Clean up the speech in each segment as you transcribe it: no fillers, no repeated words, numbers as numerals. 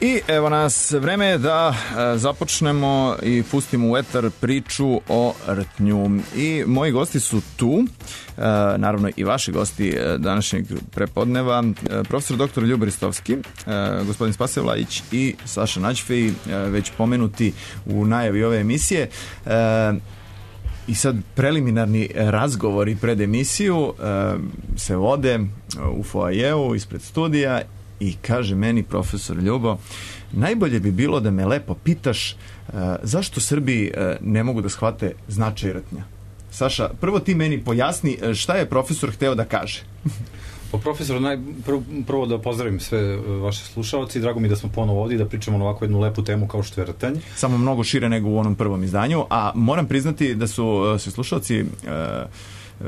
I evo nas, vreme je da započnemo i pustimo u etar priču o rtnju. I moji gosti su tu, naravno i vaši gosti današnjeg prepodneva, profesor dr. Ljubo Ristovski, gospodin Spase Vlajić i Saša Nađfej, već pomenuti u najavi ove emisije. I sad preliminarni razgovori pred emisiju se vode u foajeu ispred studija i kaže meni profesor Ljubo, najbolje bi bilo da me lepo pitaš zašto Srbi ne mogu da shvate značaj rtnja. Saša, prvo ti meni pojasni šta je profesor hteo da kaže. Pa profesor, prvo da pozdravim sve vaše slušalci, drago mi da smo ponovo ovdje da pričamo na ovakvu jednu lepu temu kao što je rtanj. Samo mnogo šire nego u onom prvom izdanju, a moram priznati da su se slušalci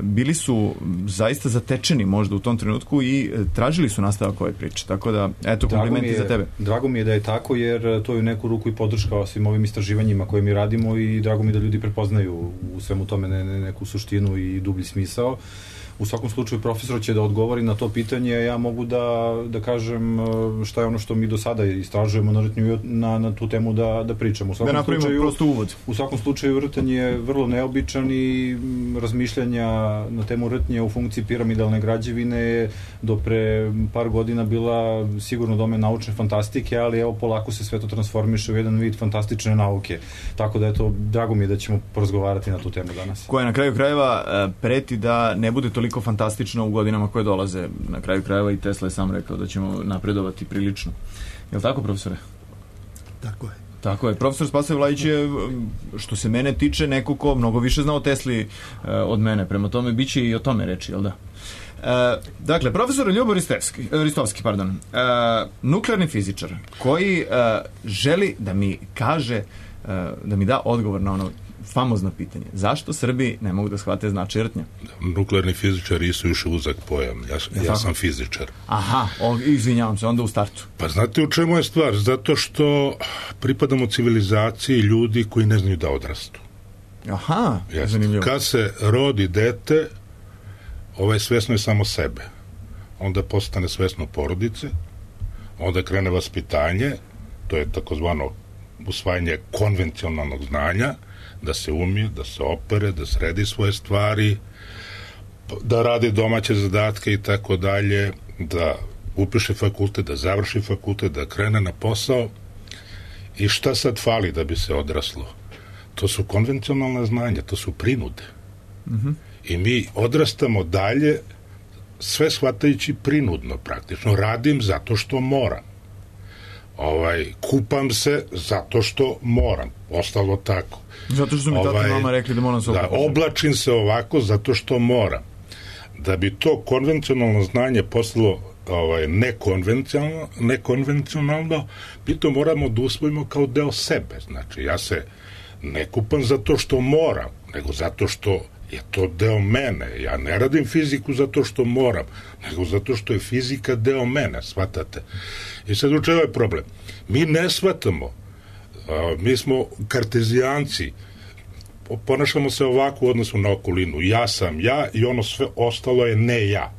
bili su zaista zatečeni možda u tom trenutku i tražili su nastavak ove priče, tako da eto, komplimenti za tebe. Drago mi je da je tako, jer to je u neku ruku i podrška svim ovim istraživanjima koje mi radimo i drago mi je da ljudi prepoznaju u svemu tome neku suštinu i dublji smisao. U svakom slučaju profesor će da odgovori na to pitanje, ja mogu da kažem šta je ono što mi do sada istražujemo na rtnju na tu temu da pričamo. Da napravimo prosto uvod. U svakom slučaju rtanj je vrlo neobičan i razmišljanja na temu rtnje u funkciji piramidalne građevine je do pre par godina bila sigurno domen naučne fantastike, ali evo polako se sve to transformiše u jedan vid fantastične nauke. Tako da eto, drago mi je da ćemo porazgovarati na tu temu danas. Koja na kraju krajeva preti da ne bude toliko fantastično u godinama koje dolaze. Na kraju krajeva i Tesla je sam rekao da ćemo napredovati prilično. Je li tako, profesore? Tako je. Tako je. Profesor Spase Vlajić je, što se mene tiče, neko ko mnogo više zna o Tesli od mene. Prema tome, bit će i o tome reči, jel da? Dakle, profesor Ljubo Ristovski, nuklearni fizičar, koji želi da mi kaže, da mi da odgovor na ono famozno pitanje. Zašto Srbi ne mogu da shvate značaj rtnja? Nuklearni fizičari su još uzak pojam. Ja sam fizičar. Aha, izvinjavam se, onda u startu. Pa znate u čemu je stvar? Zato što pripadamo civilizaciji ljudi koji ne znaju da odrastu. Aha, zanimljivo. Kad se rodi dete, svesno je samo sebe. Onda postane svesno porodice, onda krene vaspitanje, to je takozvano usvajanje konvencionalnog znanja, da se umije, da se opere, da sredi svoje stvari, da radi domaće zadatke i tako dalje, da upiše fakultet, da završi fakultet, da krene na posao. I šta sad fali da bi se odraslo? To su konvencionalna znanja, to su prinude. I mi odrastamo dalje sve shvatajući prinudno praktično. Radim zato što moram. Kupam se zato što moram. Ostalo tako. Zato što su mi tata i mama rekli da moram se oblačiti. Oblačim se ovako zato što moram. Da bi to konvencionalno znanje postalo nekonvencionalno, mi to moramo da usvojimo kao deo sebe. Znači, ja se ne kupam zato što moram, nego zato što je to deo mene. Ja ne radim fiziku zato što moram, nego zato što je fizika deo mene, shvatate? I sad u čemu je problem? Mi ne shvatamo, mi smo kartezijanci, ponašamo se ovako u odnosu na okolinu. Ja sam ja i ono sve ostalo je ne ja.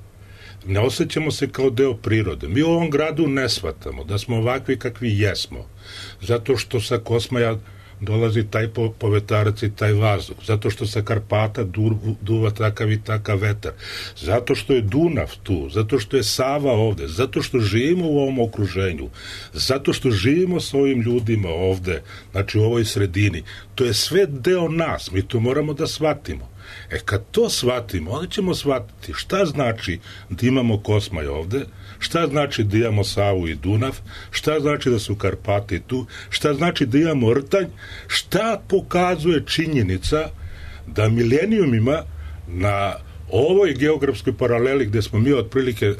Ne osjećamo se kao deo prirode. Mi u ovom gradu ne shvatamo da smo ovakvi kakvi jesmo. Zato što sa Kosmaja dolazi taj povetarac i taj vazduh, zato što sa Karpata duva takav i takav vetar, zato što je Dunav tu, zato što je Sava ovde, zato što živimo u ovom okruženju, zato što živimo s ovim ljudima ovde, znači u ovoj sredini. To je sve deo nas, mi to moramo da shvatimo. Kad to shvatimo, onda ćemo shvatiti šta znači da imamo Kosmaj ovde, šta znači da imamo Savu i Dunav, šta znači da su Karpati tu, šta znači da imamo rtanj, šta pokazuje činjenica da milenijumima na ovoj geografskoj paraleli gde smo mi otprilike,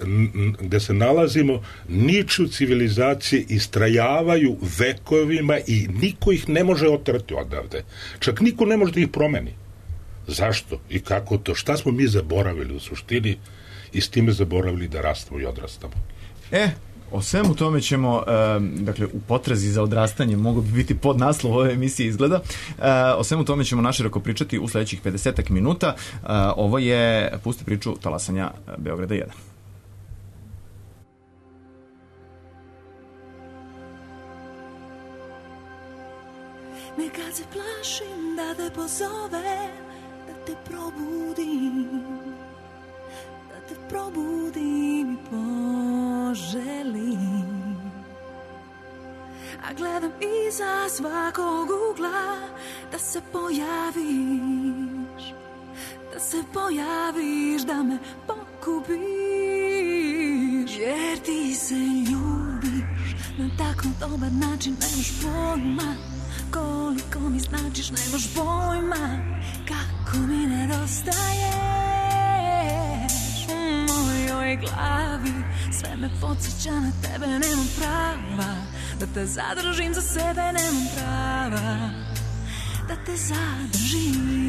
gde se nalazimo, niču civilizacije, istrajavaju vekovima i niko ih ne može otrati odavde. Čak niko ne može da ih promeni. Zašto i kako to? Šta smo mi zaboravili u suštini i s time zaboravili da rastemo i odrastamo? O svemu tome ćemo, dakle, u potrazi za odrastanje, mogu bi biti pod naslov ove emisije izgleda, o svemu tome ćemo naširoko pričati u sledećih 50 minuta. Ovo je Pusti priču talasanja Beograda 1. se plašim da te pozovem, da te probudim, da te probudim i poželim. A gledam iza svakog ugla da se pojaviš, da se pojaviš, da me pokupiš. Jer ti se ljubiš na tako dobar način, nemaš pojma koliko mi značiš, nemaš pojma kako mi nedostaješ. U mojoj glavi sve me podsjeća na tebe, nemam prava da te zadržim za sebe, nemam prava da te zadržim.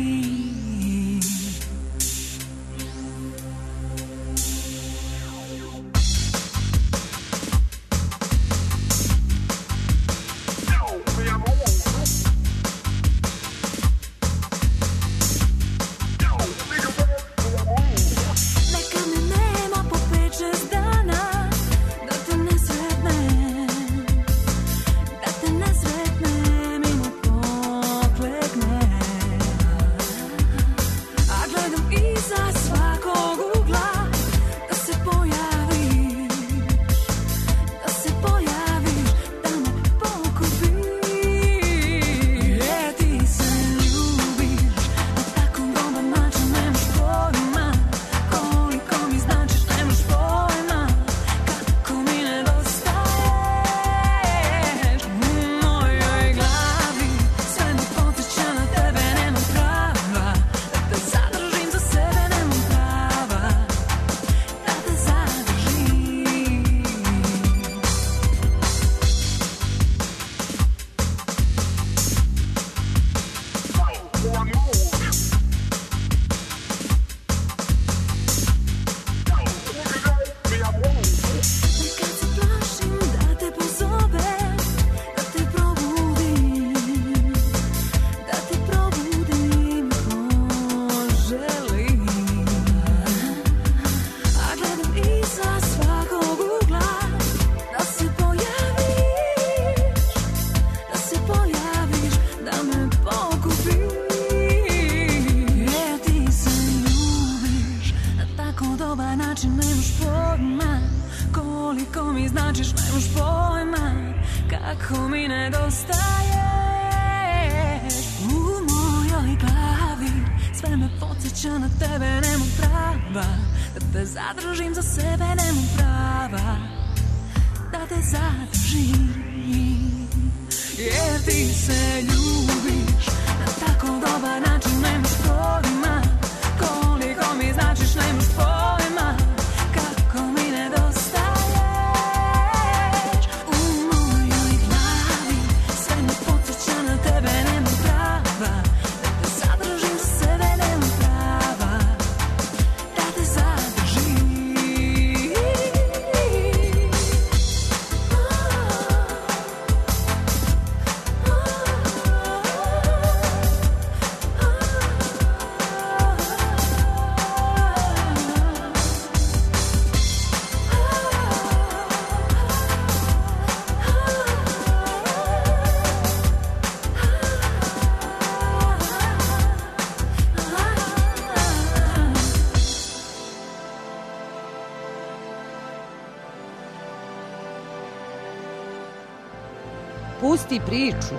Pusti priču.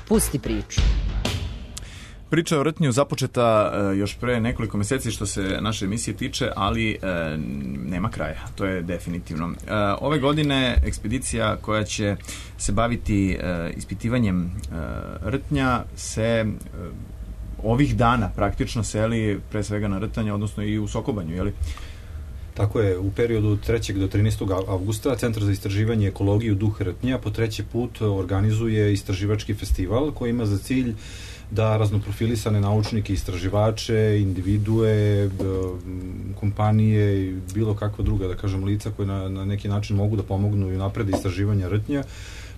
Pusti priču. Priča o rtnju započeta još pre nekoliko meseci što se naše emisije tiče, ali nema kraja, to je definitivno. Ove godine ekspedicija koja će se baviti ispitivanjem rtnja se ovih dana praktično seli pre svega na rtanje, odnosno i u Sokobanju, je li? Tako je, u periodu od 3. do 13. avgusta Centar za istraživanje i ekologiju Duh rtnja po treći put organizuje istraživački festival koji ima za cilj da raznoprofilisane naučnike, istraživače, individue, kompanije i bilo kakva druga, da kažem, lica koje na neki način mogu da pomognu i naprede istraživanja rtnja,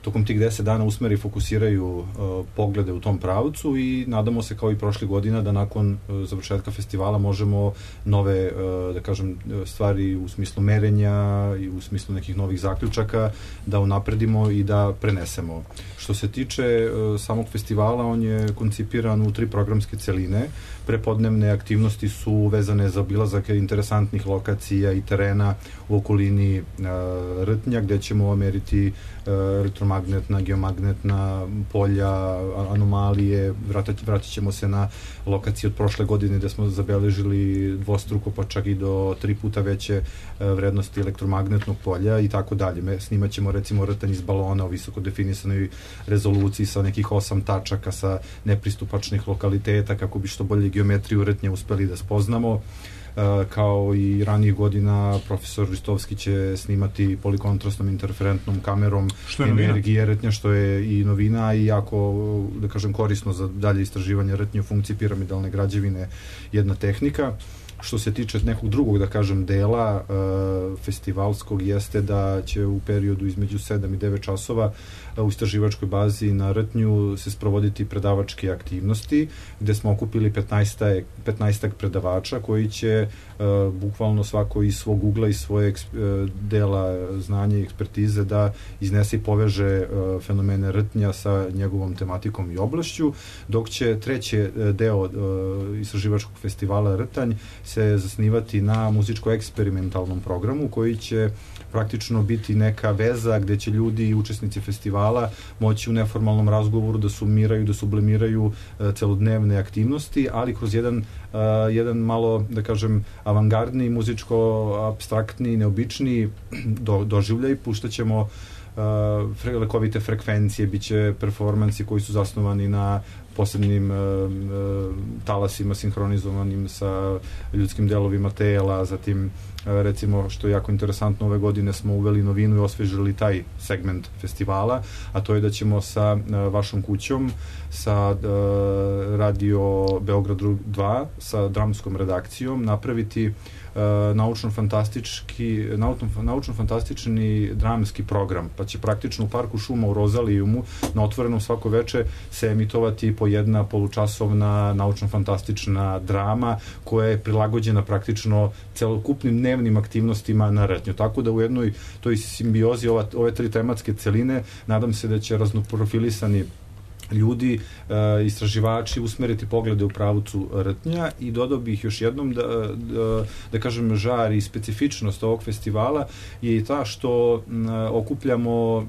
tokom tih 10 dana usmeri i fokusiraju poglede u tom pravcu i nadamo se kao i prošle godina da nakon završetka festivala možemo nove, da kažem, stvari u smislu merenja i u smislu nekih novih zaključaka da unapredimo i da prenesemo. Što se tiče samog festivala, on je koncipiran u 3 programske celine. Prepodnevne aktivnosti su vezane za obilazak interesantnih lokacija i terena u okolini rtnja, gde ćemo meriti elektromagnetna, geomagnetna polja, anomalije, vratit ćemo se na lokacije od prošle godine gde smo zabeležili dvostruko pa čak i do 3 puta veće vrednosti elektromagnetnog polja i tako dalje. Snimat ćemo recimo rtanj iz balona u visoko definisanoj rezoluciji sa nekih 8 tačaka sa nepristupačnih lokaliteta kako bi što bolje geometriju rtnja uspeli da spoznamo. Kao i ranijih godina, profesor Ristovski će snimati polikontrastnom interferentnom kamerom energije rtnja, što je i novina i jako, da kažem, korisno za dalje istraživanje rtnje u funkciji piramidalne građevine, jedna tehnika. Što se tiče nekog drugog, da kažem, dela festivalskog, jeste da će u periodu između 7 i 9 časova u istraživačkoj bazi na rtnju se sprovoditi predavačke aktivnosti, gde smo okupili 15 predavača koji će bukvalno svako iz svog ugla i svoje dela znanja i ekspertize da iznese i poveže fenomene rtnja sa njegovom tematikom i oblašću, dok će treći deo istraživačkog festivala Rtanj se zasnivati na muzičko-eksperimentalnom programu koji će praktično biti neka veza gde će ljudi i učesnici festivala moći u neformalnom razgovoru da sumiraju, da sublimiraju celodnevne aktivnosti, ali kroz jedan malo, da kažem, avangardni, muzičko-abstraktni, neobični doživljaj. Puštaćemo lekovite frekvencije, bit će performansi koji su zasnovani na posebnim talasima sinhronizovanim sa ljudskim delovima tela, zatim recimo, što je jako interesantno, ove godine smo uveli novinu i osvežili taj segment festivala, a to je da ćemo sa vašom kućom, sa Radio Beograd 2, sa dramskom redakcijom napraviti naučno-fantastični dramski program, pa će praktično u Parku šuma u Rozalijumu na otvorenom svako veče se emitovati po jedna polučasovna naučno-fantastična drama koja je prilagođena praktično celokupnim dnevnim aktivnostima na rtnju. Tako da u jednoj toj simbiozi ove 3 tematske celine nadam se da će raznoprofilisani ljudi, istraživači usmeriti poglede u pravcu rtnja i dodao bih još jednom da kažem žar i specifičnost ovog festivala je i ta što okupljamo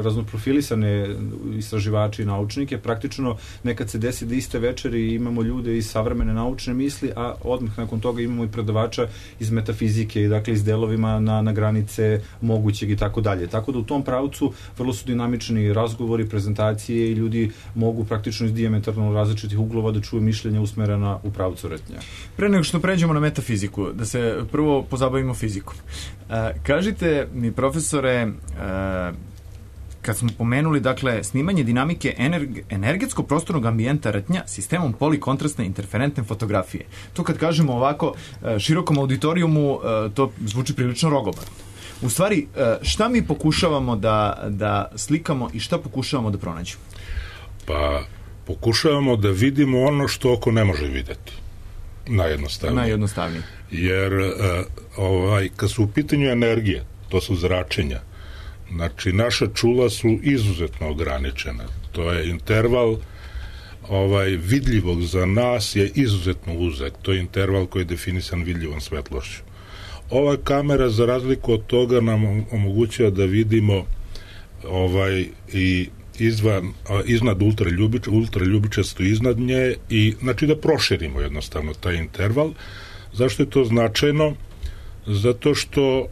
raznoprofilisane istraživači i naučnike. Praktično nekad se desi da iste večeri imamo ljude iz savremene naučne misli, a odmah nakon toga imamo i predavača iz metafizike i dakle iz delovima na granice mogućeg i tako dalje. Tako da u tom pravcu vrlo su dinamični razgovori, prezentacije i ljudi mogu praktično iz dijametralno različitih uglova da čuju mišljenja usmerena u pravcu rtnja. Pre nego što pređemo na metafiziku, da se prvo pozabavimo fizikom. Kažite mi, profesore, kad smo pomenuli, dakle, snimanje dinamike energetsko-prostornog ambijenta rtnja sistemom polikontrastne interferentne fotografije. To kad kažemo ovako širokom auditorijumu, to zvuči prilično rogobatno. U stvari, šta mi pokušavamo da slikamo i šta pokušavamo da pronađemo? Pa, pokušavamo da vidimo ono što oko ne može videti. Najjednostavnije. Jer kad su u pitanju energije, to su zračenja, znači naša čula su izuzetno ograničena. To je interval vidljivog za nas je izuzetno uzak. To je interval koji je definisan vidljivom svetlošću. Ova kamera, za razliku od toga, nam omogućava da vidimo i iznad ultraljubičasto iznad nje i znači da proširimo jednostavno taj interval. Zašto je to značajno? Zato što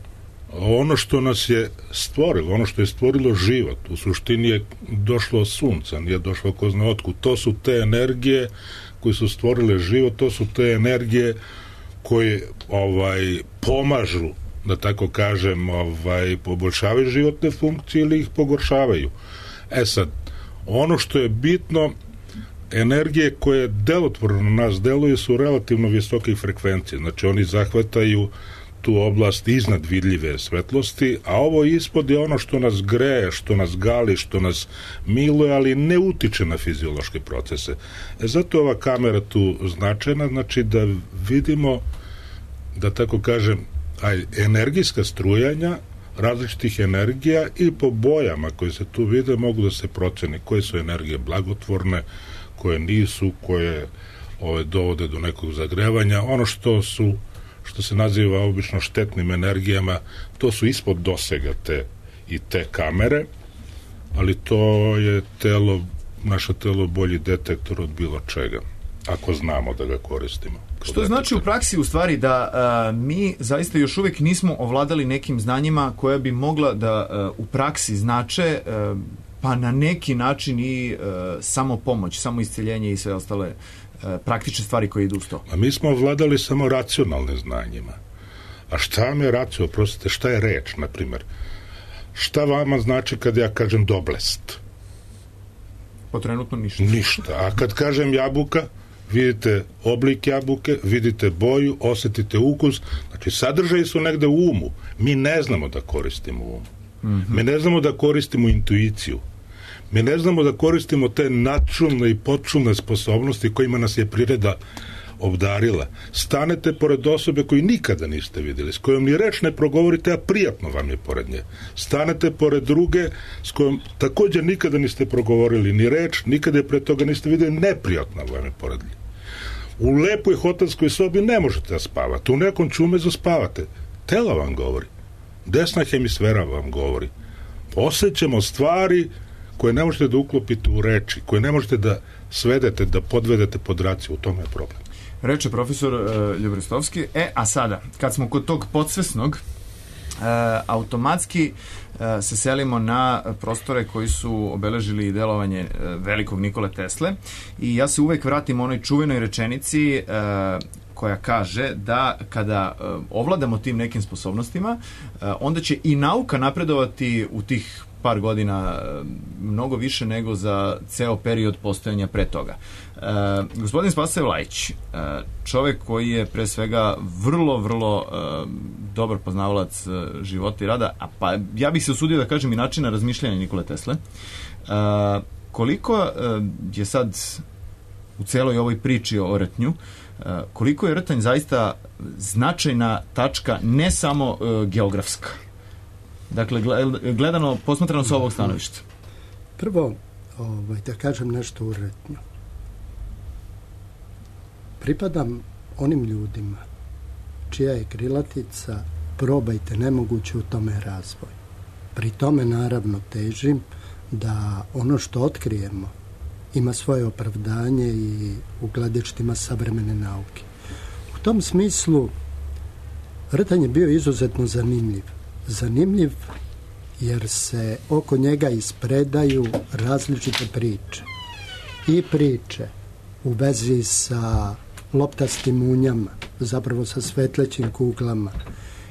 ono što nas je stvorilo, ono što je stvorilo život, u suštini je došlo od sunca, nije došlo ko zna otkud. To su te energije koje su stvorile život, to su te energije koje pomažu, da tako kažem, poboljšavaju životne funkcije ili ih pogoršavaju. Sad, ono što je bitno, energije koje delotvorno na nas deluju su relativno visoke frekvencije, znači oni zahvataju tu oblast iznad vidljive svetlosti, a ovo ispod je ono što nas greje, što nas gali, što nas miluje, ali ne utiče na fiziološke procese. Zato je ova kamera tu značajna, znači da vidimo, da tako kažem, energijska strujanja različitih energija i po bojama koje se tu vide mogu da se proceni koje su energije blagotvorne, koje nisu, koje dovode do nekog zagrevanja. Ono što se naziva obično štetnim energijama, to su ispod dosega te kamere, ali to je naše telo bolji detektor od bilo čega, ako znamo da ga koristimo. Što znači u praksi u stvari da mi zaista još uvijek nismo ovladali nekim znanjima koja bi mogla da u praksi znače pa na neki način i samo pomoć, samo isceljenje i sve ostale praktične stvari koje idu uz to. A mi smo ovladali samo racionalnim znanjima. A šta vam je racio? Oprostite, šta je reč, na primjer? Šta vama znači kad ja kažem doblest? Po trenutno ništa. Ništa. A kad kažem jabuka, vidite oblik jabuke, vidite boju, osjetite ukus, znači sadržaji su negde u umu. Mi ne znamo da koristimo um. Mi ne znamo da koristimo intuiciju. Mi ne znamo da koristimo te načulne i počulne sposobnosti kojima nas je priroda obdarila. Stanete pored osobe koju nikada niste vidjeli, s kojom ni reč ne progovorite, a prijatno vam je pored nje. Stanete pored druge s kojom također nikada niste progovorili ni reč, nikada je pre toga niste vidjeli, neprijatno vam je pored nje. U lepoj hotelskoj sobi ne možete da spavate, u nekom čumezu spavate. Telo vam govori. Desna hemisfera vam govori. Osjećamo stvari koje ne možete da uklopite u reči, koje ne možete da svedete, da podvedete pod raciju, u tome je problem. Reče profesor Ljubrestovski. A sada, kad smo kod tog podsvesnog, automatski se selimo na prostore koji su obeležili delovanje velikog Nikole Tesle i ja se uvek vratim onoj čuvenoj rečenici koja kaže da kada ovladamo tim nekim sposobnostima, onda će i nauka napredovati u tih par godina mnogo više nego za ceo period postojanja pre toga. Gospodin Spasoje Vlajić, čovek koji je pre svega vrlo dobar poznavalac života i rada, pa ja bih se usudio da kažem i načina razmišljanja Nikole Tesle, koliko je sad u celoj ovoj priči o rtnju, koliko je rtanj zaista značajna tačka, ne samo geografska? Dakle, gledano, posmatrano sa ovog stanovišta. Prvo, da kažem nešto u rtnju. Pripadam onim ljudima čija je krilatica probajte nemoguće, u tome razvoj. Pri tome naravno težim da ono što otkrijemo ima svoje opravdanje i u gledištima savremene nauke. U tom smislu rtanj je bio izuzetno zanimljiv. Zanimljiv jer se oko njega ispredaju različite priče. I priče u vezi sa loptastim munjama, zapravo sa svetlećim kuglama,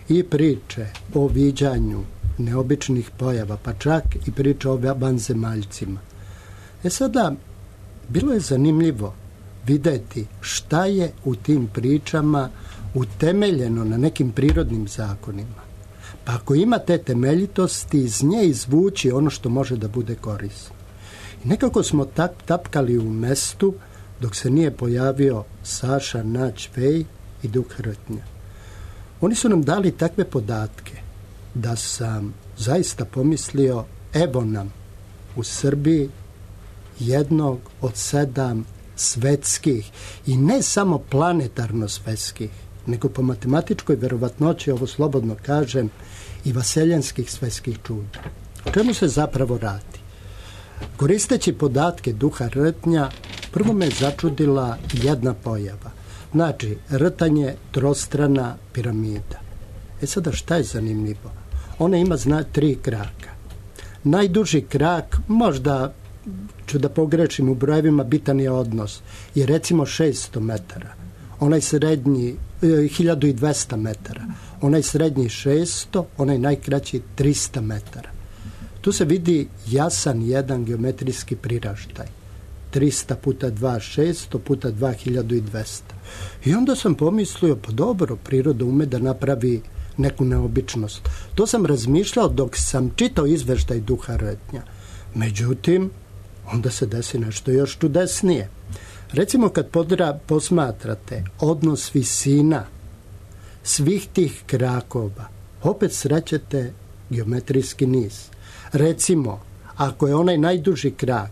i priče o viđanju neobičnih pojava, pa čak i priče o vanzemaljcima. Sada, bilo je zanimljivo videti šta je u tim pričama utemeljeno na nekim prirodnim zakonima. Pa ako ima te temeljitosti, iz nje izvući ono što može da bude korisno. I nekako smo tapkali u mestu dok se nije pojavio Saša Nađ-Vej i Duh rtnja. Oni su nam dali takve podatke da sam zaista pomislio, evo nam u Srbiji jednog od 7 svetskih, i ne samo planetarno svetskih, nego po matematičkoj verovatnoći, ovo slobodno kažem, i vaseljanskih svetskih čuda. O čemu se zapravo radi? Koristeći podatke Duha rtnja, prvo me začudila jedna pojava. Znači, rtanj je trostrana piramida. Sada šta je zanimljivo? Ona ima 3 kraka. Najduži krak, možda ću da pogrešim u brojevima, bitan je odnos, je recimo 600 metara. Onaj srednji 1200 metara. Onaj srednji 600, onaj najkraći 300 metara. Tu se vidi jasan jedan geometrijski priraštaj. 300 puta 2, 600 puta 2200. I onda sam pomislio, pa dobro, priroda ume da napravi neku neobičnost. To sam razmišljao dok sam čitao izveštaj duha retnja. Međutim, onda se desi nešto još čudesnije. Recimo kad posmatrate odnos visina svih tih krakova, opet srećete geometrijski niz. Recimo, ako je onaj najduži krak,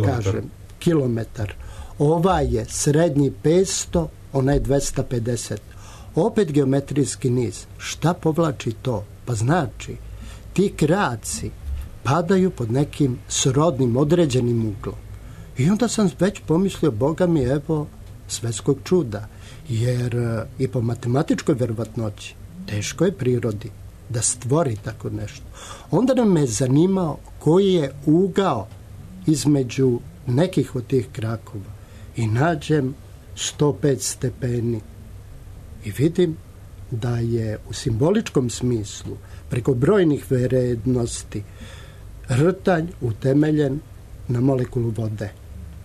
kažem, kilometar, ovaj je srednji 500, onaj 250. Opet geometrijski niz. Šta povlači to? Pa znači, ti kraci padaju pod nekim srodnim, određenim uglom. I onda sam već pomislio, Boga mi, evo, svetskog čuda. Jer i po matematičkoj verovatnoći teško je prirodi da stvori tako nešto. Onda nam me zanimao koji je ugao između nekih od tih krakova. I nađem 105 stepeni. I vidim da je u simboličkom smislu, preko brojnih vrednosti, rtanj utemeljen na molekulu vode.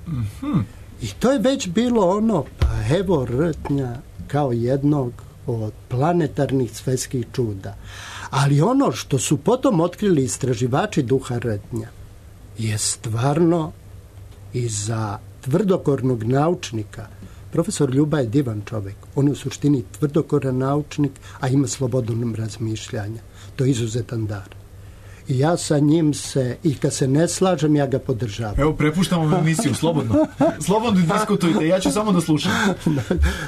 Mm-hmm. I to je već bilo ono, pa evo rtnja kao jednog od planetarnih svetskih čuda. Ali ono što su potom otkrili istraživači duha rtnja je stvarno i za tvrdokornog naučnika. Profesor Ljuba je divan čovjek. On je u suštini tvrdokoran naučnik, a ima slobodu razmišljanja. To je izuzetan dar. I ja sa njim i kad se ne slažem, ja ga podržavam. Evo, prepuštamo ovu emisiju, slobodno. Slobodno diskutujte, ja ću samo da slušam.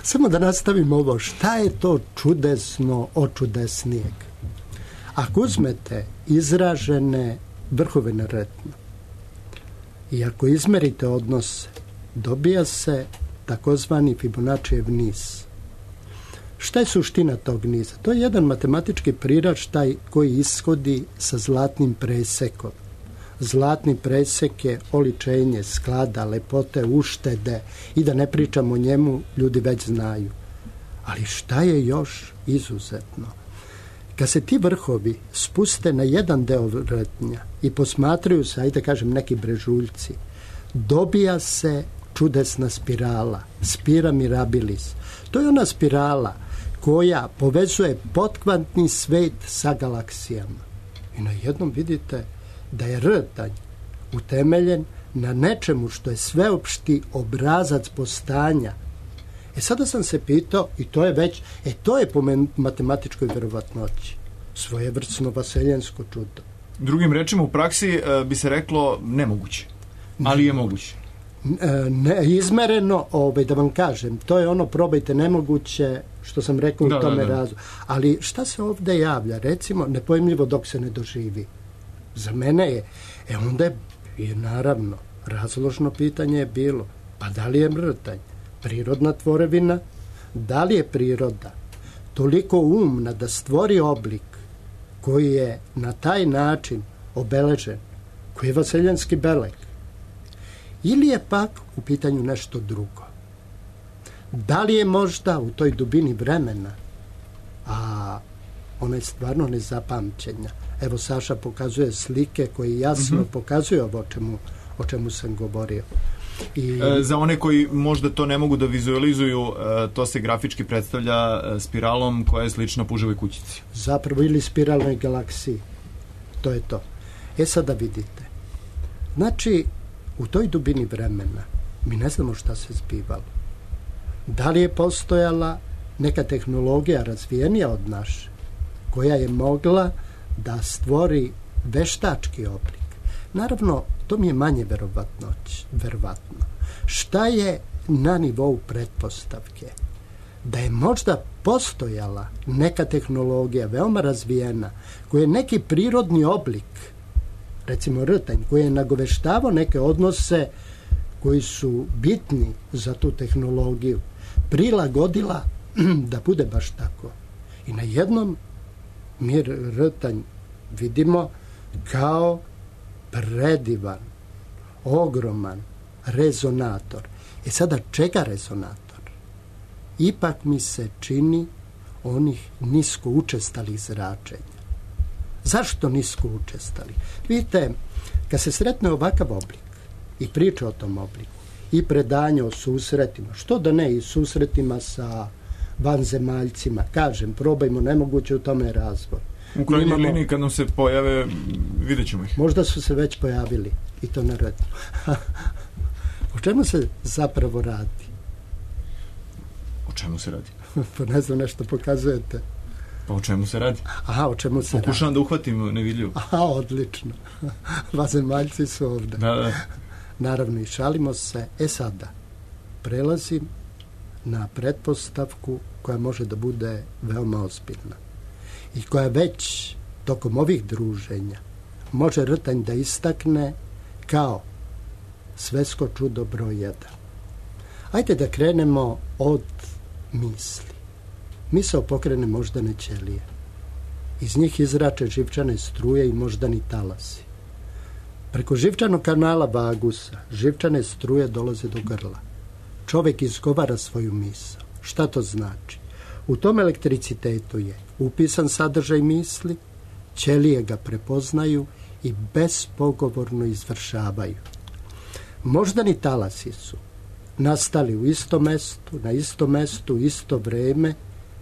Samo da nastavim ovo. Šta je to čudesno od čudesnijeg? Ako uzmete izražene vrhove na rtnju i ako izmerite odnose, dobija se takozvani Fibonaccijev niz. Šta je suština tog niza? To je jedan matematički priraštaj koji ishodi sa zlatnim presekom. Zlatni presek je oličenje sklada, lepote, uštede i da ne pričamo o njemu, ljudi već znaju. Ali šta je još izuzetno? Kad se ti vrhovi spuste na jedan deo rtnja i posmatraju se, ajde kažem, neki brežuljci, dobija se čudesna spirala, spira mirabilis. To je ona spirala koja povezuje potkvantni svet sa galaksijama. I na jednom vidite da je rtanj utemeljen na nečemu što je sveopšti obrazac postanja. Sada sam se pitao, i to je već, to je po matematičkoj verovatnoći svojevrsno vaseljensko čudo. Drugim rečima, u praksi bi se reklo nemoguće, ali je moguće. Izmereno, da vam kažem, to je ono probajte nemoguće, što sam rekao u tome razu. Ali šta se ovdje javlja? Recimo, nepojmljivo dok se ne doživi. Za mene je, onda je naravno, razložno pitanje je bilo, pa da li je rtanj prirodna tvorevina, da li je priroda toliko umna da stvori oblik koji je na taj način obeležen, koji je vaseljanski beleg, ili je pak u pitanju nešto drugo. Da li je možda u toj dubini vremena, a ona je stvarno nezapamćenja. Evo, Saša pokazuje slike koje jasno pokazuju o čemu sam govorio. Za one koji možda to ne mogu da vizualizuju, to se grafički predstavlja spiralom koja je slična puževoj kućici. Zapravo, ili spiralnoj galaksiji. To je to. Sada vidite. Znači, u toj dubini vremena mi ne znamo šta se zbivalo. Da li je postojala neka tehnologija razvijenija od naše, koja je mogla da stvori veštački oblik? Naravno, to mi je manje verovatno. Šta je na nivou pretpostavke? Da je možda postojala neka tehnologija veoma razvijena, koja je neki prirodni oblik, recimo rtanj, koji je nagoveštavao neke odnose koji su bitni za tu tehnologiju, prilagodila da bude baš tako. I na jednom mi rtanj vidimo kao predivan, ogroman rezonator. Sada čega rezonator? Ipak mi se čini onih nisko učestalih zračenja. Zašto nisko učestali? Vidite, kad se sretne ovakav oblik i priče o tom obliku, i predanje o susretima, što da ne, i susretima sa vanzemaljcima. Kažem, probajmo, nemoguće u tome razvoj. U krajnjoj liniji kad nam se pojave, vidjet ćemo ih. Možda su se već pojavili, i to na Rtnju. O čemu se zapravo radi? O čemu se radi? Pa ne znam, nešto pokazujete. Pa o čemu se radi? Aha, o čemu se radi? Pokušavam da uhvatim nevidljivo. Aha, odlično. Vanzemaljci su ovde. Da. Naravno, i šalimo se. Sada, prelazim na pretpostavku koja može da bude veoma ozbiljna i koja već tokom ovih druženja može Rtanj da istakne kao svetsko čudo broj 1. Ajde da krenemo od misli. Misao pokrene moždane ćelije. Iz njih izrače živčane struje i moždani talasi. Preko živčanog kanala vagusa živčane struje dolaze do grla. Čovjek izgovara svoju misao. Šta to znači? U tom elektricitetu je upisan sadržaj misli, ćelije ga prepoznaju i bespogovorno izvršavaju. Moždani talasi su nastali u istom mestu, na istom mestu, isto vreme,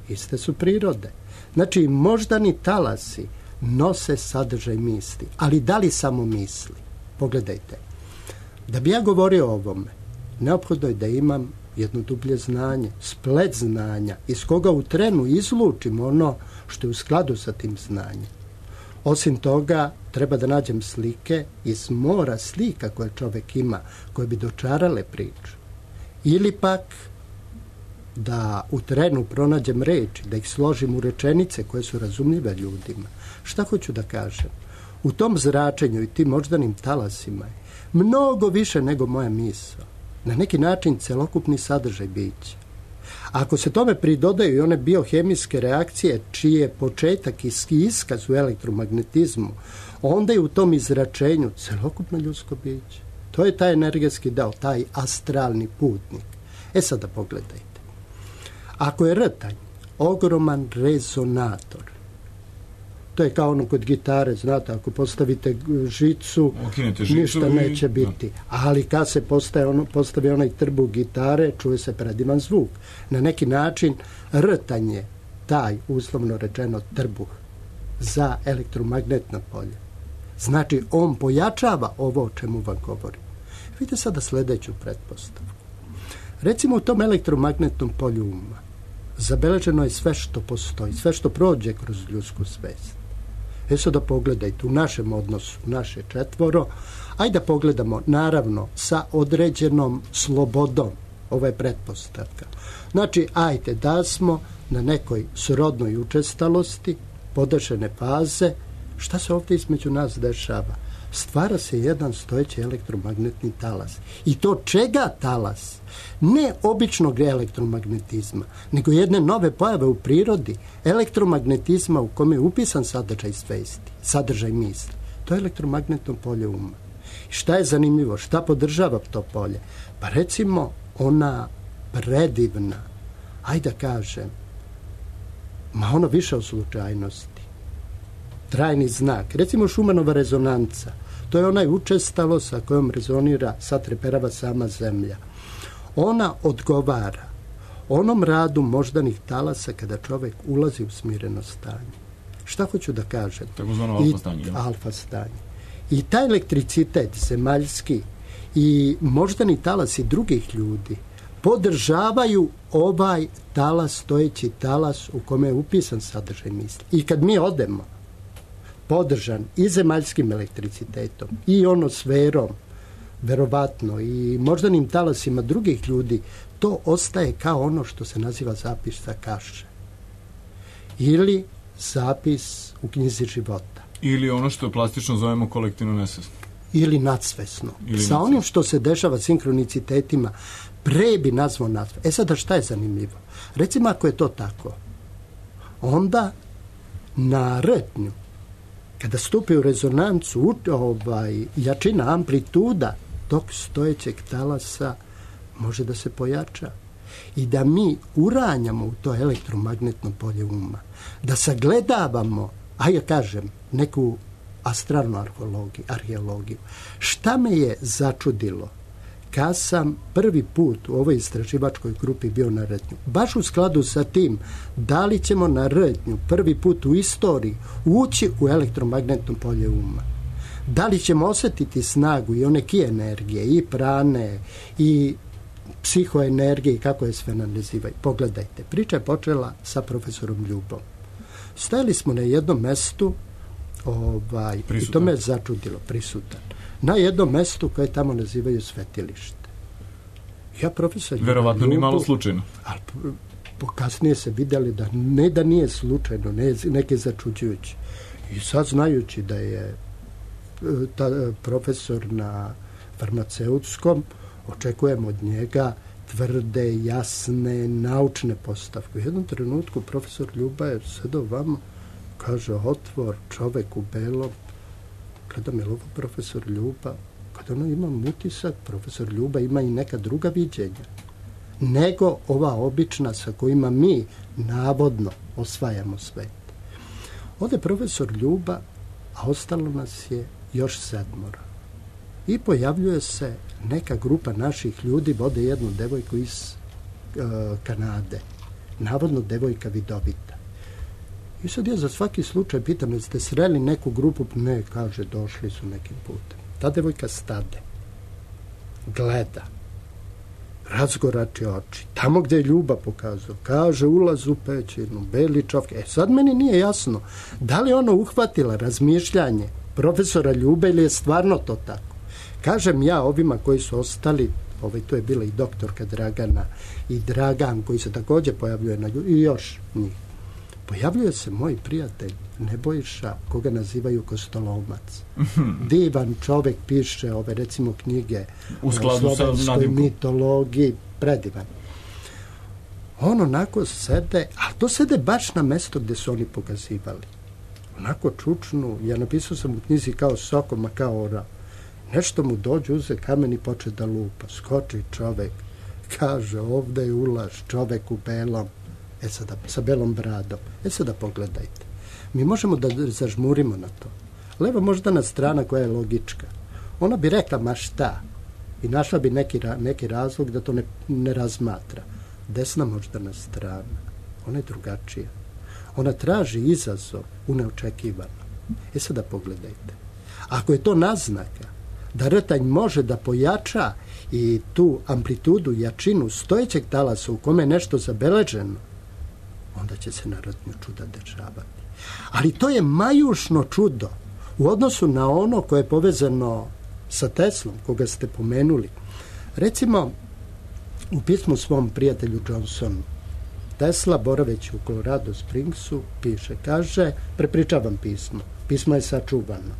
iste su prirode. Znači, moždani talasi nose sadržaj misli, ali da li samo misli? Pogledajte, da bi ja govorio o ovome, neophodno je da imam jedno dublje znanje, splet znanja, iz koga u trenu izlučim ono što je u skladu sa tim znanjem. Osim toga, treba da nađem slike iz mora slika koje čovjek ima, koje bi dočarale priču. Ili pak da u trenu pronađem reči, da ih složim u rečenice koje su razumljive ljudima. Šta hoću da kažem? U tom zračenju i tim moždanim talasima je mnogo više nego moja misao. Na neki način celokupni sadržaj bića. Ako se tome pridodaju i one biohemijske reakcije čiji je početak i iskaz u elektromagnetizmu, onda je u tom izračenju celokupno ljudsko biće. To je taj energetski deo, taj astralni putnik. Sada pogledajte. Ako je Rtanj ogroman rezonator, to je kao ono kod gitare, znate, ako postavite žicu, ništa neće biti. Ali kad se postavi onaj trbuh gitare, čuje se predivan zvuk. Na neki način Rtanj je taj, uslovno rečeno, trbuh za elektromagnetno polje. Znači, on pojačava ovo o čemu vam govorim. Vidite sada sljedeću pretpostavku. Recimo, u tom elektromagnetnom polju uma zabeleženo je sve što postoji, sve što prođe kroz ljudsku svest. Sada pogledajte, u našem odnosu, naše četvoro, ajde da pogledamo, naravno, sa određenom slobodom, ovo je pretpostavka. Znači, ajde da smo na nekoj srodnoj učestalosti, podešene faze, šta se ovdje između nas dešava? Stvara se jedan stojeći elektromagnetni talas. I to čega talas? Ne običnog elektromagnetizma, nego jedne nove pojave u prirodi, elektromagnetizma u kome je upisan sadržaj svesti, sadržaj misli. To je elektromagnetno polje uma. I šta je zanimljivo? Šta podržava to polje? Pa recimo ona predivna, ajde da kažem, ono više od slučajnosti. Trajni znak. Recimo Šumanova rezonanca. To je onaj učestalo sa kojom rezonira, satreperava sama zemlja. Ona odgovara onom radu moždanih talasa kada čovjek ulazi u smireno stanje. Šta hoću da kažem? Takozvano alfa stanje. Alfa stanje. I taj elektricitet zemaljski i moždani talasi drugih ljudi podržavaju ovaj talas, stojeći talas u kome je upisan sadržaj misli. I kad mi odemo podržan i zemaljskim elektricitetom i onosferom, verovatno, i moždanim talasima drugih ljudi, to ostaje kao ono što se naziva zapis sa kaše. Ili zapis u knjizi života. Ili ono što plastično zovemo kolektivno nesvesno. Ili nadsvesno. Sa onim što se dešava sinkronicitetima, pre bi nazvao nadsvesno. Sada šta je zanimljivo? Recimo ako je to tako, onda na Rtnju, kada stupi u rezonancu jačina, amplituda tog stojećeg talasa može da se pojača i da mi uranjamo u to elektromagnetno polje uma, da sagledavamo, kažem, neku astralnu arheologiju. Šta me je začudilo? Kad sam prvi put u ovoj istraživačkoj grupi bio na Rtnju, baš u skladu sa tim da li ćemo na Rtnju prvi put u istoriji ući u elektromagnetno polje uma, da li ćemo osjetiti snagu i one ki energije, i prane, i psihoenergije, i kako je sve nazivaju. Pogledajte, priča je počela sa profesorom Ljubom. Stajali smo na jednom mestu, i to me je začudilo, prisutan, na jednom mestu koje tamo nazivaju svetilište. Ja profesor verovatno ni malo slučajno. Ali kasnije se vidjeli da ne da nije slučajno, neke začuđujući. I sad znajući da je profesor na farmaceutskom, očekujem od njega tvrde, jasne, naučne postavke. U jednom trenutku profesor Ljuba je sedao vamo, kaže, otvor, čovek u belom. Gledam, je li ovo profesor Ljuba? Kada ono imam utisak, profesor Ljuba ima i neka druga viđenja nego ova obična sa kojima mi navodno osvajamo svet. Ode profesor Ljuba, a ostalo nas je još 7. I pojavljuje se neka grupa naših ljudi, vode jednu devojku iz Kanade, navodno devojka vidovita. I sad ja za svaki slučaj pitam, jeste sreli neku grupu? Ne, kaže, došli su nekim putem. Ta devojka stade, gleda, razgorači oči, tamo gdje je Ljuba pokazao, kaže, ulaz u pećinu, beli čovjek. Sad meni nije jasno, da li ona uhvatila razmišljanje profesora Ljube ili je stvarno to tako. Kažem ja ovima koji su ostali, to je bila i doktorka Dragana i Dragan koji se također pojavljuje na Ljubi, i još njih. Pojavljuje se moj prijatelj Nebojša, koga nazivaju Kostolomac. Divan čovek, piše ove, recimo, knjige u skladu sa nadimkom, mitologiji, predivan. On onako sede, a to sede baš na mesto gdje su oni pokazivali. Onako čučnu, ja napisao sam u knjizi kao sokoma, kao ora. Nešto mu dođe, uze kamen i poče da lupa. Skoči čovek, kaže, ovdje je ulaz, čovek u belom. Sada, sa belom bradom. Sada pogledajte. Mi možemo da zažmurimo na to. Leva moždana strana koja je logička. Ona bi rekla, ma šta? I našla bi neki razlog da to ne razmatra. Desna moždana strana. Ona je drugačija. Ona traži izazov u neočekivano. Sada pogledajte. Ako je to naznaka da rtanj može da pojača i tu amplitudu, jačinu stojećeg talasa u kome je nešto zabeleženo, onda će se na Rtnju čuda dešavati. Ali to je majušno čudo u odnosu na ono koje je povezano sa Teslom, koga ste pomenuli. Recimo, u pismu svom prijatelju Johnsonu, Tesla, boraveći u Colorado Springsu, piše, kaže, prepričavam pismo, pismo je sačuvano,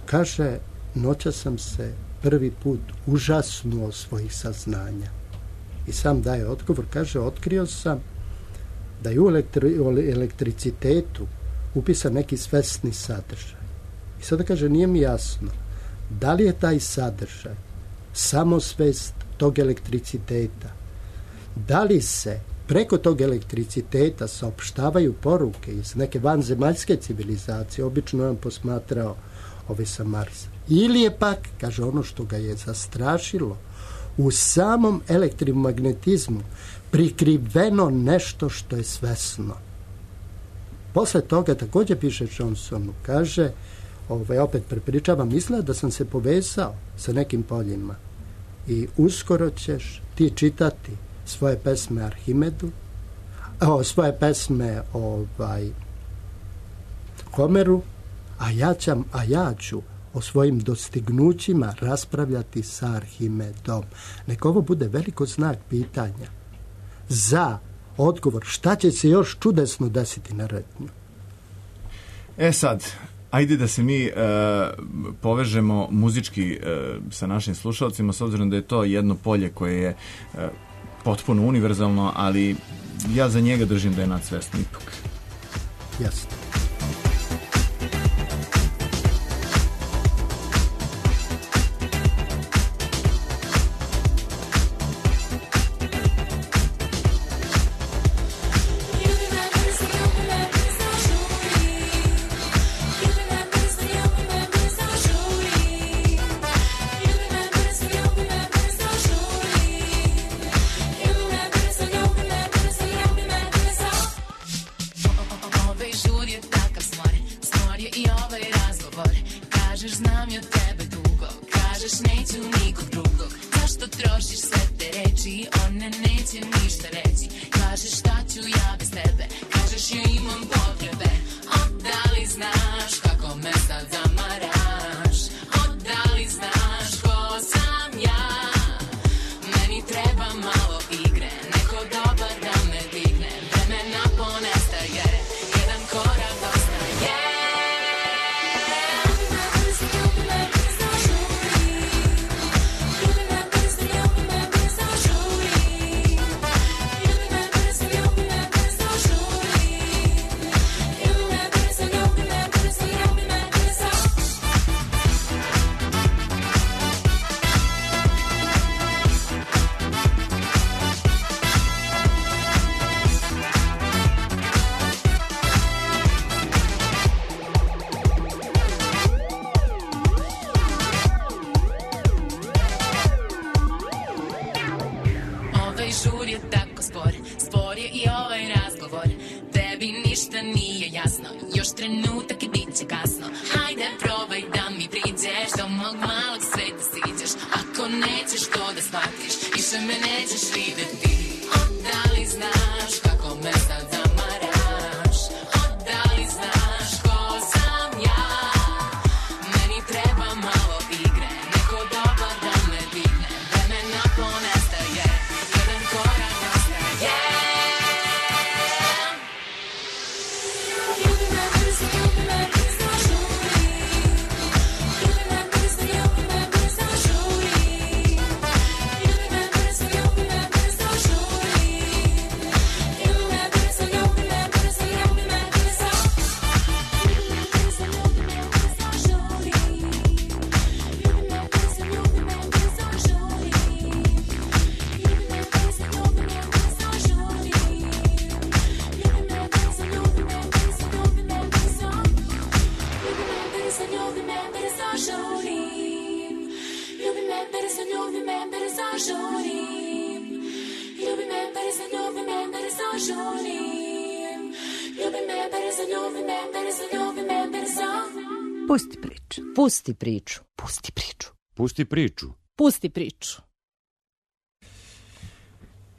kaže, noća sam se prvi put užasnuo svojih saznanja. I sam daje odgovor, kaže, otkrio sam da je u elektricitetu upisan neki svesni sadržaj. I sada kaže, nije mi jasno da li je taj sadržaj samosvest tog elektriciteta, da li se preko tog elektriciteta saopštavaju poruke iz neke vanzemaljske civilizacije, obično je on posmatrao sa Marsa. Ili je pak, kaže, ono što ga je zastrašilo, u samom elektromagnetizmu prikriveno nešto što je svesno. Posle toga također piše Johnsonu, kaže, opet prepričavam, mislila da sam se povezao sa nekim poljima i uskoro ćeš ti čitati svoje pesme Arhimedu, svoje pesme Homeru, a ja ću o svojim dostignućima raspravljati sa Arhimedom. Neka ovo bude veliko znak pitanja za odgovor šta će se još čudesno desiti na Rtnju. Sad, ajde da se mi povežemo muzički sa našim slušalcima, s obzirom da je to jedno polje koje je potpuno univerzalno, ali ja za njega držim da je nadsvesno ipak. Jasno. You Kažeš znam ja tebe dugo, kažeš neću nikog drugog. Zašto trošiš sve te reči, one neće ništa reći. Kažeš šta ću ja bez tebe, kažeš ja imam potrebe. Da li znaš kako me sad zamaraš? Da li znaš ko sam ja? Meni treba malo igre, neko dobar da me digne. Vremena ponestaje, jedan korak dostaje. Nije jasno, još trenutak i bit će kasno. Hajde probaj da mi priđeš, do mog malog sveta siđeš. Ako nećeš to da shvatiš, više me nećeš videti. Da li znaš kako me sad zamaraš? Da li znaš ko sam ja? Meni treba malo igre, neko dobar da me digne. Vremena ponestaje, jedan korak dostaje. Pusti priču. Pusti priču. Pusti priču. Pusti priču. Pusti priču.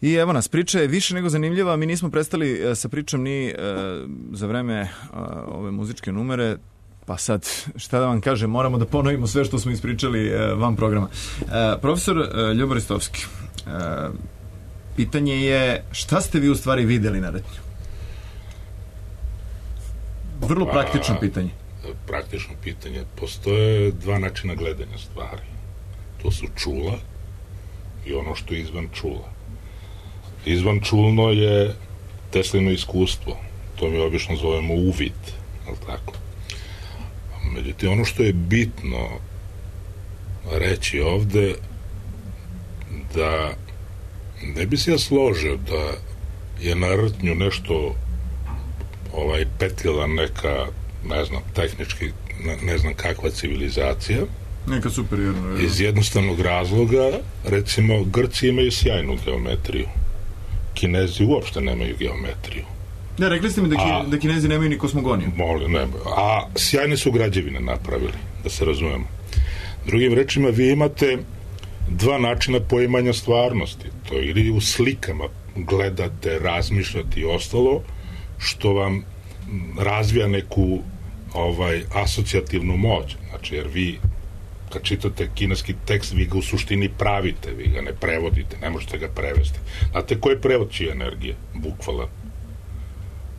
I evo nas, priča je više nego zanimljiva. Mi nismo prestali sa pričom ni za vreme ove muzičke numere, pa sad, šta da vam kažem, moramo da ponovimo sve što smo ispričali van programa. Profesor Ljubo Ristovski, pitanje je šta ste vi u stvari videli na Retnju? Vrlo praktično pitanje. Praktično pitanje. Postoje dva načina gledanja stvari. To su čula i ono što je izvan čula. Izvan čulno je Teslino iskustvo. To mi obično zovemo uvid. Ali tako? Međutim, ono što je bitno reći ovde, da ne bi se ja složio da je na Rtnju nešto petljala neka, ne znam, tehnički, ne znam kakva civilizacija. Neka superiorna. Iz jednostavnog razloga, recimo, Grci imaju sjajnu geometriju. Kinezi uopšte nemaju geometriju. Ne, rekli ste mi da Kinezi nemaju ni kosmogoniju. Nemaju. A sjajne su građevine napravili, da se razumemo. Drugim rečima, vi imate dva načina poimanja stvarnosti. To je ili u slikama gledate, razmišljate i ostalo, što vam razvija neku asocijativnu moć. Znači, jer vi kad čitate kineski tekst, vi ga u suštini pravite, vi ga ne prevodite, ne možete ga prevesti. Znate ko je prevod čije energije? Bukvalan.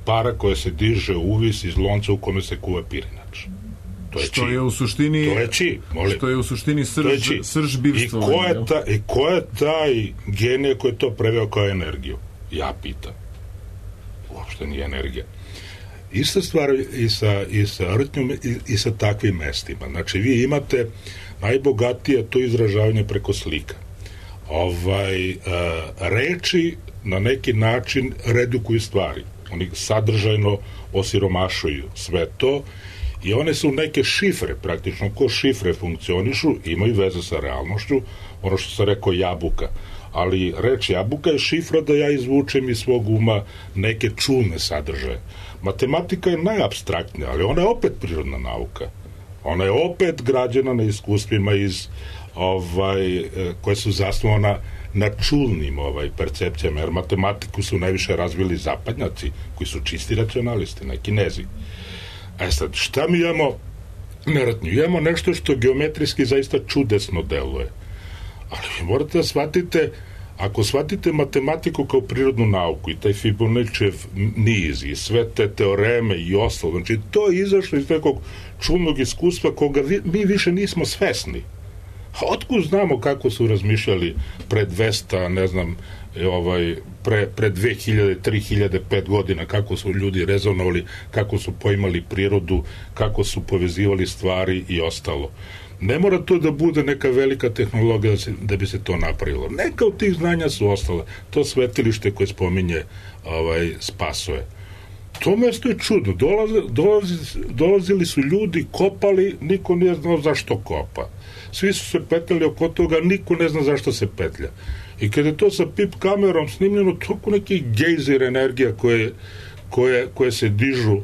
Para koja se diže uvis iz lonca u kome se kuva pirinač. To je što je u suštini, to je či, molim. Što je u suštini srž bivstva. I ko je taj genije koji je to preveo kao energiju? Ja pitam. Uopšte nije energija. Ista stvar i sa Rtnjom i sa takvim mestima. Znači, vi imate najbogatije to izražavanje preko slika. Reči na neki način redukuju stvari. Oni sadržajno osiromašuju sve to i one su neke šifre, praktično ko šifre funkcionišu, imaju veze sa realnošću, ono što sam rekao jabuka. Ali reč jabuka je šifra da ja izvučem iz svog uma neke čulne sadržaje. Matematika je najapstraktnija, ali ona je opet prirodna nauka. Ona je opet građena na iskustvima iz koje su zasnovana na čulnim percepcijama, jer matematiku su najviše razvili zapadnjaci, koji su čisti racionalisti, ne Kinezi. Sad, šta mi imamo na Rtnju? Imamo nešto što geometrijski zaista čudesno deluje. Ali vi morate da shvatite, ako shvatite matematiku kao prirodnu nauku i taj Fibonaccijev niz i sve te teoreme i ostalo, znači to je izašlo iz nekog čudnog iskustva koga mi više nismo svesni. A otkud znamo kako su razmišljali pre 200, ne znam, pre 2000, 3000, 5 godina, kako su ljudi rezonovali, kako su poimali prirodu, kako su povezivali stvari i ostalo. Ne mora to da bude neka velika tehnologija da bi se to napravilo. Neka od tih znanja su ostale. To svetilište koje spominje Spasoje. To mesto je čudno. Dolazili su ljudi, kopali, niko nije znao zašto kopa. Svi su se petljali oko toga, niko ne zna zašto se petlja. I kada je to sa pip kamerom snimljeno, toliko neki gejzir energija koje se dižu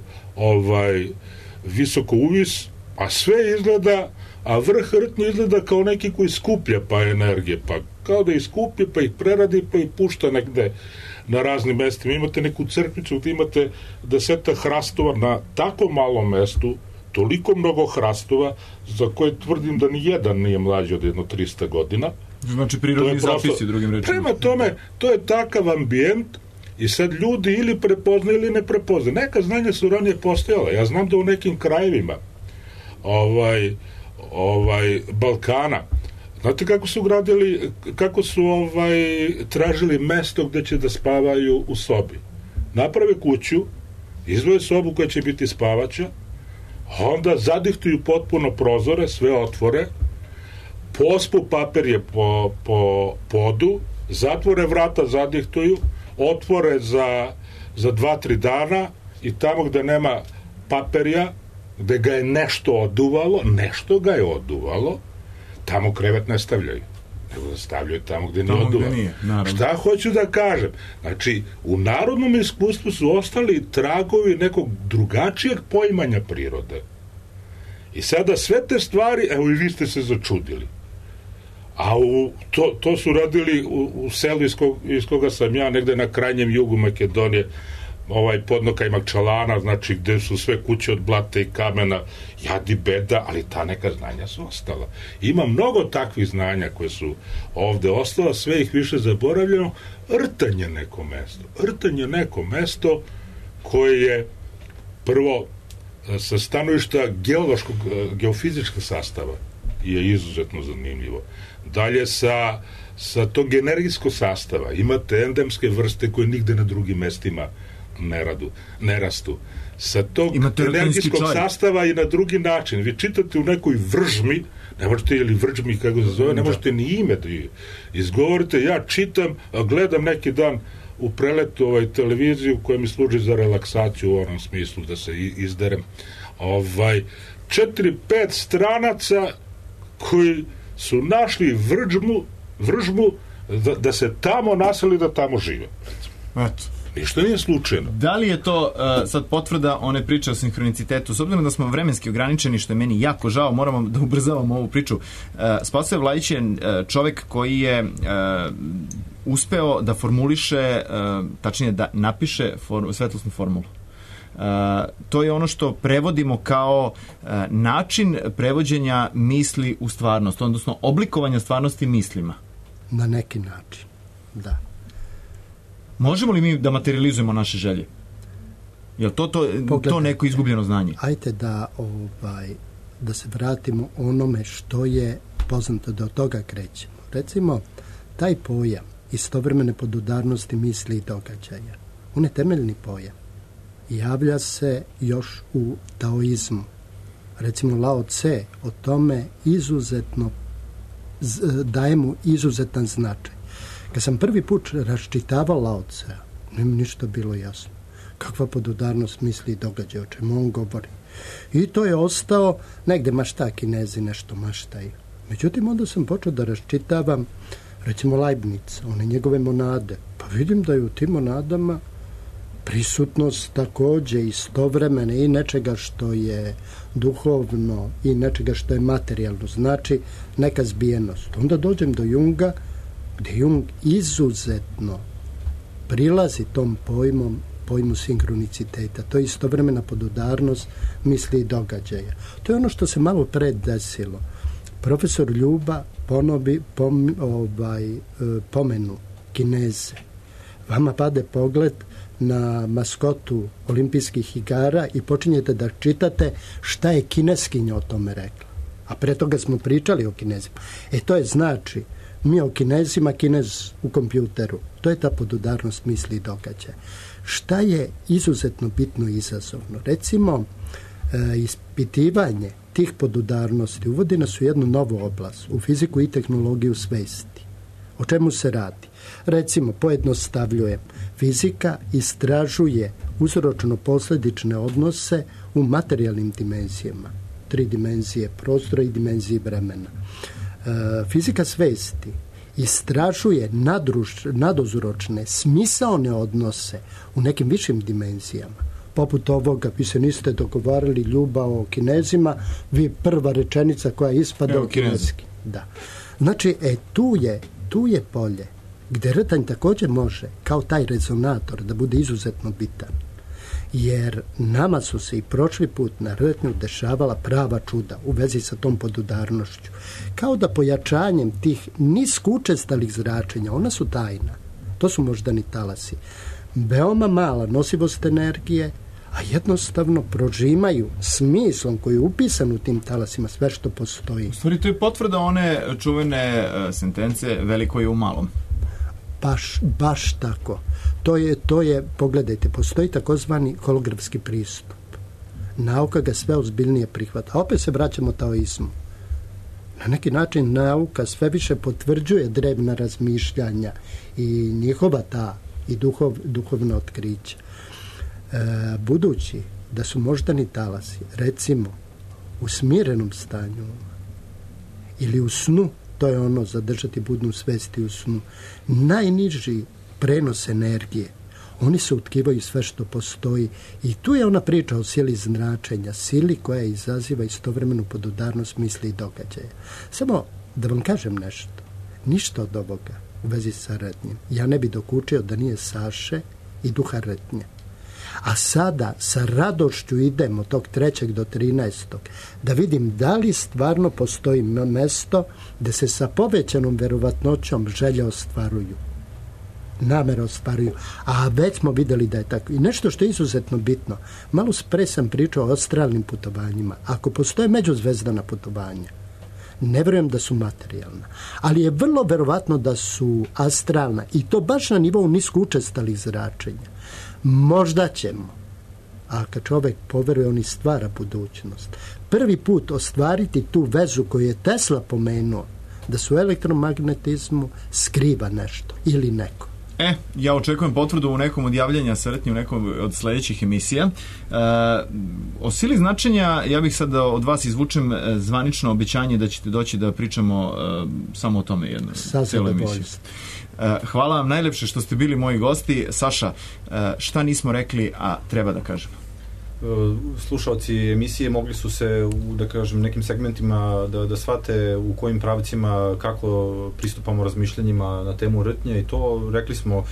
visoko uvis, a sve izgleda, a vrh Rtnje izgleda kao neki koji skuplja pa energije, pa kao da ih skuplja, pa ih preradi, pa ih pušta negde na raznim mestima. Imate neku crkvicu gde imate 10 hrastova na tako malom mestu, toliko mnogo hrastova, za koje tvrdim da ni jedan nije mlađi od jedno 300 godina. Znači prirodni zapisi, drugim rečima. Prema tome, to je takav ambijent i sad ljudi ili prepoznaju ili ne prepoznaju. Neka znanja su ranije postojala. Ja znam da u nekim krajevima Balkana, znate kako su gradili, kako su tražili mesto gde će da spavaju u sobi. Naprave kuću, izdvoje sobu koja će biti spavača, onda zadihtuju potpuno prozore, sve otvore, pospu papirje po podu, zatvore vrata, zadihtuju, otvore za 2-3 dana i tamo gde nema papirja, gde ga je nešto ga je oduvalo, tamo krevet ne stavljaju. Nego da stavljaju tamo gde nije oduvalo. Šta hoću da kažem? Znači, u narodnom iskustvu su ostali tragovi nekog drugačijeg poimanja prirode. I sada sve te stvari, evo i vi ste se začudili. A to su radili u selu iz koga sam ja, negde na krajnjem jugu Makedonije, podnoka Makčalana, znači gde su sve kuće od blata i kamena, jadi beda, ali ta neka znanja su ostala. Ima mnogo takvih znanja koje su ovde ostala, sve ih više zaboravljeno. Rtanj je neko mesto koje je prvo sa stanovišta geofizičkog sastava je izuzetno zanimljivo. Dalje sa tog energijskog sastava imate endemske vrste koje nigde na drugim mestima ne rastu. Sa tog energijskog sastava i na drugi način. Vi čitate u nekoj vržmi, ne možete, ili vrđmi, kako se zove, ne možete ni ime da izgovorite. Ja čitam, gledam neki dan u preletu televiziju koja mi služi za relaksaciju u onom smislu da se izderem. 4-5 stranaca koji su našli vržmu da se tamo naseli, da tamo žive. Eto. Ništa nije slučajno. Da li je to sad potvrda one priče o sinhronicitetu? S obzirom da smo vremenski ograničeni, što je meni jako žao, moramo da ubrzavamo ovu priču. Spasoje Vlajić je čovek koji je uspeo da formuliše, tačnije da napiše svetlosnu formulu. To je ono što prevodimo kao način prevođenja misli u stvarnost, odnosno oblikovanja stvarnosti mislima. Na neki način, da. Možemo li mi da materializujemo naše želje? Je li to neko izgubljeno znanje? Ajde da se vratimo onome što je poznato, da od toga krećemo. Recimo, taj pojam istovremene podudarnosti misli i događaja, on je temeljni pojam. Javlja se još u taoizmu. Recimo, Lao Tse o tome daje mu izuzetan značaj. Kad sam prvi put raščitavao Lao Tsea, nije mi ništa bilo jasno. Kakva podudarnost misli i događaja, o čemu on govori. I to je ostao, negde mašta Kinezi nešto maštaju. Međutim, onda sam počeo da raščitavam, recimo Leibniz, one njegove monade. Pa vidim da je u tim monadama prisutnost takođe istovremene i nečega što je duhovno i nečega što je materijalno, znači neka zbijenost. Onda dođem do Junga, gde Jung izuzetno prilazi tom pojmu sinkroniciteta. To je istovremena podudarnost misli i događaja. To je ono što se malo pre desilo. Profesor Ljuba pomenu Kineze. Vama pade pogled na maskotu olimpijskih igara i počinjete da čitate šta je kineskinja o tome rekla. A pre toga smo pričali o Kinezima. To je znači, mi o Kinezima, Kinez u kompjuteru. To je ta podudarnost misli i događaja. Šta je izuzetno bitno i izazovno? Recimo, ispitivanje tih podudarnosti uvodi nas u jednu novu oblast, u fiziku i tehnologiju svesti. O čemu se radi? Recimo, pojednostavljujem, fizika istražuje uzročno-posledične odnose u materijalnim dimenzijama. 3 dimenzije prostora i dimenzije vremena. Fizika svesti istražuje naduzročne, smisaone odnose u nekim višim dimenzijama. Poput ovoga, vi se niste dogovarali, Ljuba, o Kinezima, vi prva rečenica koja ispada o kineski. Da. Znači, tu je polje gde rtanj takođe može, kao taj rezonator, da bude izuzetno bitan. Jer nama su se i prošli put na rtnju dešavala prava čuda u vezi sa tom podudarnošću. Kao da pojačanjem tih niskoučestalih zračenja, ona su tajna, to su moždani talasi, veoma mala nosivost energije, a jednostavno prožimaju smislom koji je upisan u tim talasima sve što postoji. U stvari, to je potvrda one čuvene sentence veliko je u malom. Baš tako. To je, pogledajte, postoji takozvani holografski pristup. Nauka ga sve ozbiljnije prihvata. A opet se vraćamo taoizmu. Na neki način nauka sve više potvrđuje drevna razmišljanja i njihova ta i duhovna otkrića. Budući da su moždani talasi, recimo, u smirenom stanju ili u snu, to je ono zadržati budnu svesti u snu, najniži prenos energije, oni se utkivaju sve što postoji i tu je ona priča o sili značenja, sili koja izaziva istovremenu podudarnost misli i događaja. Samo da vam kažem nešto, ništa od ovoga u vezi sa rtnjem ja ne bi dokučio da nije Saše i duha rtnje. A sada sa radošću idem od tog 3. do 13. da vidim da li stvarno postoji mesto gde se sa povećanom verovatnoćom želje ostvaruju, namere ostvaruju, a već smo videli da je tako. I nešto što je izuzetno bitno, malo pre sam pričao o astralnim putovanjima. Ako postoje međuzvezdana putovanja, ne verujem da su materijalna, ali je vrlo verovatno da su astralna i to baš na nivou niskoučestalih zračenja. Možda ćemo, a kad čovek poveruje, on i stvara budućnost, prvi put ostvariti tu vezu koju je Tesla pomenuo, da su u elektromagnetizmu skriva nešto ili neko. Ja očekujem potvrdu u nekom od javljanja sa rtnje, u nekom od sledećih emisija. O sili značenja, ja bih sad od vas izvučem zvanično obećanje da ćete doći da pričamo samo o tome jednu celu emisiju. Hvala vam najlepše što ste bili moji gosti. Saša, šta nismo rekli, a treba da kažemo? Slušalci emisije mogli su se u, da kažem, nekim segmentima da shvate u kojim pravcima, kako pristupamo razmišljanjima na temu rtnje i to, rekli smo,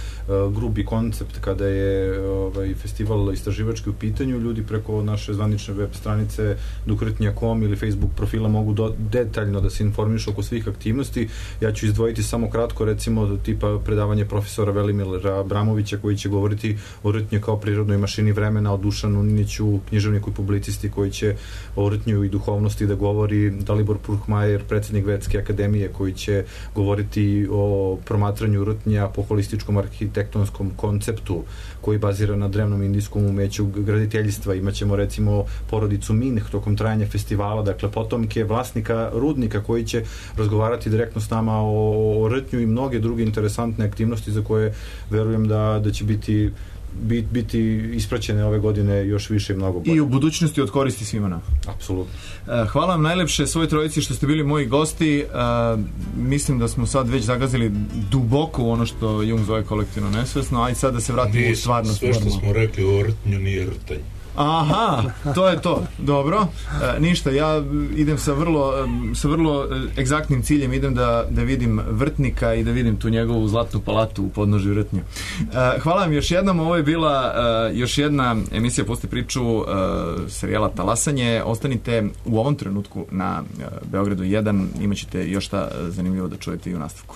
grubi koncept kada je festival istraživački u pitanju, ljudi preko naše zvanične web stranice duhrtnja.com ili Facebook profila mogu detaljno da se informišu oko svih aktivnosti. Ja ću izdvojiti samo kratko, recimo, tipa predavanje profesora Velimira Abramovića koji će govoriti o rtnji kao prirodnoj mašini vremena, o Dušanu Niniću, književniku i publicisti koji će o rtnju i duhovnosti da govori, Dalibor Purhmajer, predsjednik Vedske akademije, koji će govoriti o promatranju rtnja po holističkom arhitektonskom konceptu koji bazira na drevnom indijskom umeću graditeljstva. Imaćemo recimo porodicu Minh tokom trajanja festivala, dakle potomke vlasnika rudnika koji će razgovarati direktno s nama o rtnju i mnoge druge interesantne aktivnosti za koje verujem da će biti biti ispraćene ove godine još više i mnogo bolje. I u budućnosti od koristi svima nama. Apsolutno. Hvala vam najlepše svoj trojici što ste bili moji gosti. Mislim da smo sad već zagazili duboko u ono što Jung zove kolektivno nesvesno, a i sad da se vratimo u stvarnost. Sve što smo rekli o rtnju nije rtanj. Aha, to je to. Dobro. Ništa, ja idem sa vrlo egzaktnim ciljem, idem da vidim vrtnika i da vidim tu njegovu zlatnu palatu u podnožju rtnju. Hvala vam još jednom, ovo je bila još jedna emisija Pusti priču serijala Talasanje. Ostanite u ovom trenutku na Beogradu 1, imat ćete još šta zanimljivo da čujete i u nastavku.